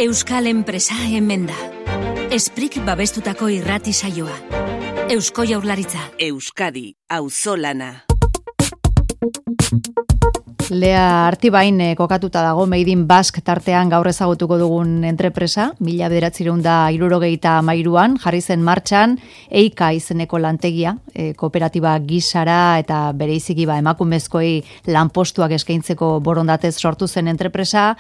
Euskal enpresa hemen da. Esprik babestutako irrati saioa. Eusko Jaurlaritza. Euskadi, auzolana. Lea Artibain kokatuta dago Made in Basque tartean gaur ezagutuko dugun entrepresa, 1973an jarri zen martxan EIKA izeneko lantegia, kooperatiba gisara eta bereiziki emakumezkoei lanpostuak eskaintzeko borondatez sortu zen entrepresa,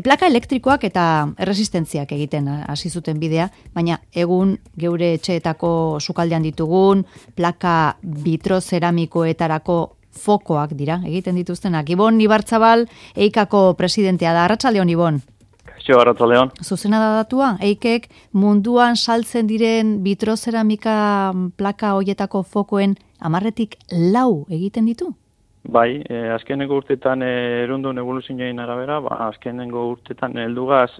plaka elektrikoak eta erresistentziak egiten hasi zuten bidea, baina egun geure etxeetako sukaldean ditugun plaka vitrozeramikoetarako fokoak dira, egiten dituztenak. Ibon Ibarzabal, EIKako presidentea da. Arratsaldeon, Ibon. Kaixo, arratsaldeon. Zuzena da datua, EIKek munduan saltzen diren vitrozeramika plaka hoietako fokoen 10-tik 4 egiten ditu? Bai, azkenengo urtetan erundun evoluzioen arabera, azkenengo urtetan heldugaz,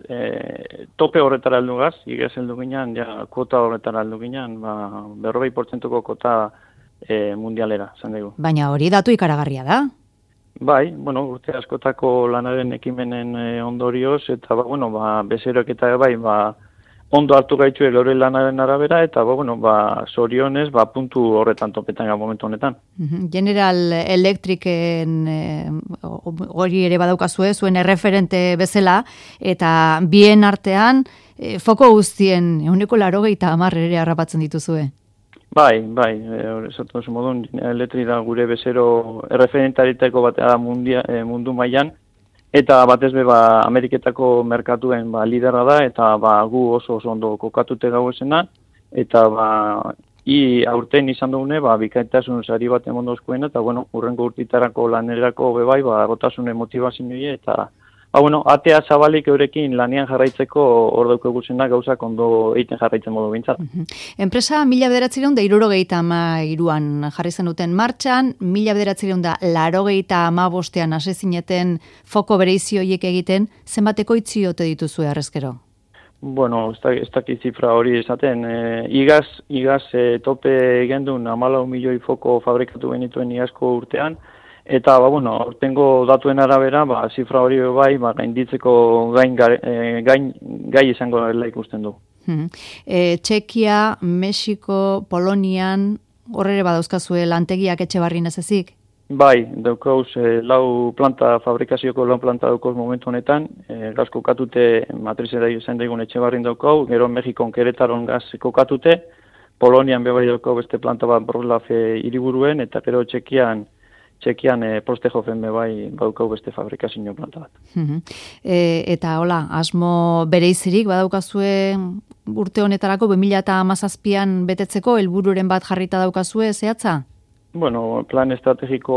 tope horretara heldugaz, igez heldu ginen, kuota horretara heldu ginen, 40%ko kota mundialera, zan dugu. Baina hori datu ikaragarria da? Bai, urte askotako lanaren ekimenen ondorioz, eta bezeroek eta ondo hartu gaitxu elore lanaren arabera, eta zorionez, puntu horretan topetan momentu honetan. General Electricen hori ere badaukazue, zuen erreferente bezala, eta bien artean, foko guztien, 80% ere harrapatzen dituzue. Bai, esatu oso modun, Electric da gure bezero erreferentariteko batea da mundu mailan, eta batez be Ameriketako merkatuen liderra da, eta gu oso ondo kokatute gau esena, eta aurten izan dugune, bikaitasun sari bat emondozkoena, eta urrengo urtitarako lanerako bebai, gotasune motivazioa, eta atea zabalik eurekin lanean jarraitzeko hor daukagusena gauzak ondo egiten jarraitzen modu bintzat. Enpresa 1973an jarri zenuten martxan, 1985an hasi zineten foko bereizi horiek egiten, zenbateko itzi ote dituzue harrezkero? Ez dakit zifra hori esaten. Igaz tope gendun 14 milioi foko fabrikatu genituen igazko urtean, eta, aurtengo datuen arabera, zifra hori gainditzeko gai izango dela ikusten du. Txekia, Mexiko, Polonian, horre badauzkazue lantegiak Etxebarrin ez ezik? Bai, daukauz, 4 planta, fabrikazioko 4 planta daukauz momentu honetan, gaz kokatute matrizera izan daigun Etxebarrin daukau, gero Mexikon Keretaron gaz kokatute, Polonian bebai daukau beste planta bat Wroclaw hiriburuen, eta gero Txekian Prostejofen bebai baukau beste fabrikazio planta bat. Eta asmo bereizirik badaukazue urte honetarako 2017an betetzeko helbururen bat jarrita daukazue zehatza? Plan estrategiko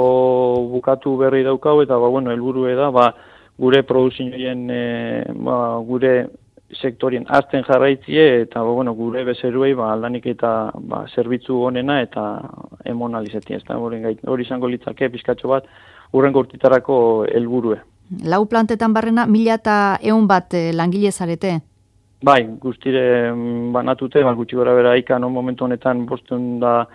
bukatu berri daukau, eta helburue da gure produzioen gure sektorien azten jarraitzie, eta gure bezeruei aldanik eta zerbitzu honena eta emon alizetia. Hori izango litzake pizkatxo bat urrengo urtitarako helburue. 4 plantetan barrena 1100 bat langile zarete? Bai, guztire banatute, gutxi gora bera ikan momentu honetan 525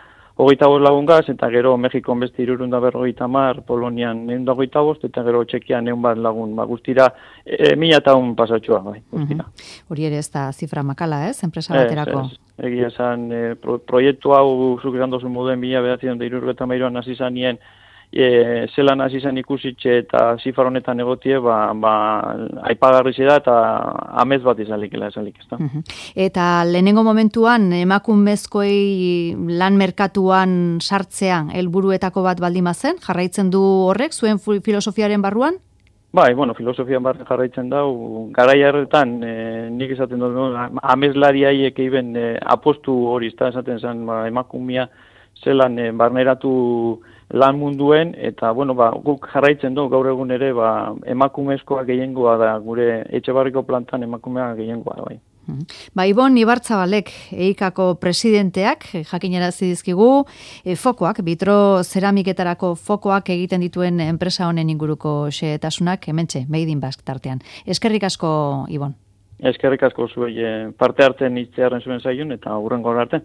lagungaz, eta gero Mexikon beste 350, Polonian 125, eta gero Txekian 100 bat lagun. Guztira 1100 pasatxoa, guztira. Hori ere ez da zifra makala, enpresa baterako? Egia esan, proiektu hau zuk esan dozu moduen 1973an hasi zanien, zelan hasi zan ikusitxe eta zifra honetan egotie, aipagarri da eta amez bat izalik, ez da. Eta lehenengo momentuan emakumezkoei lan merkatuan sartzea helburuetako bat baldin bazen, jarraitzen du horrek zuen filosofiaren barruan? Bai, filosofian barren jarraitzen dau, garai harretan, nik esaten dut, amezlariaiek eiben apostu hori, esaten zen emakumia zelan barneratu lan munduen, eta guk jarraitzen du gaur egun ere emakumezkoa gehiengoa da, gure Etxebarriko plantan emakumea gehiengoa da. Ibon Ibarzabalek, EIKako presidenteak, jakinarazi dizkigu, fokoak, vitrozeramiketarako fokoak egiten dituen enpresa honen inguruko xehetasunak, hementxe, Made in Basque tartean. Eskerrik asko, Ibon. Eskerrik asko zuei parte hartzen hitzearen zuen zaiun, eta hurrengo arte.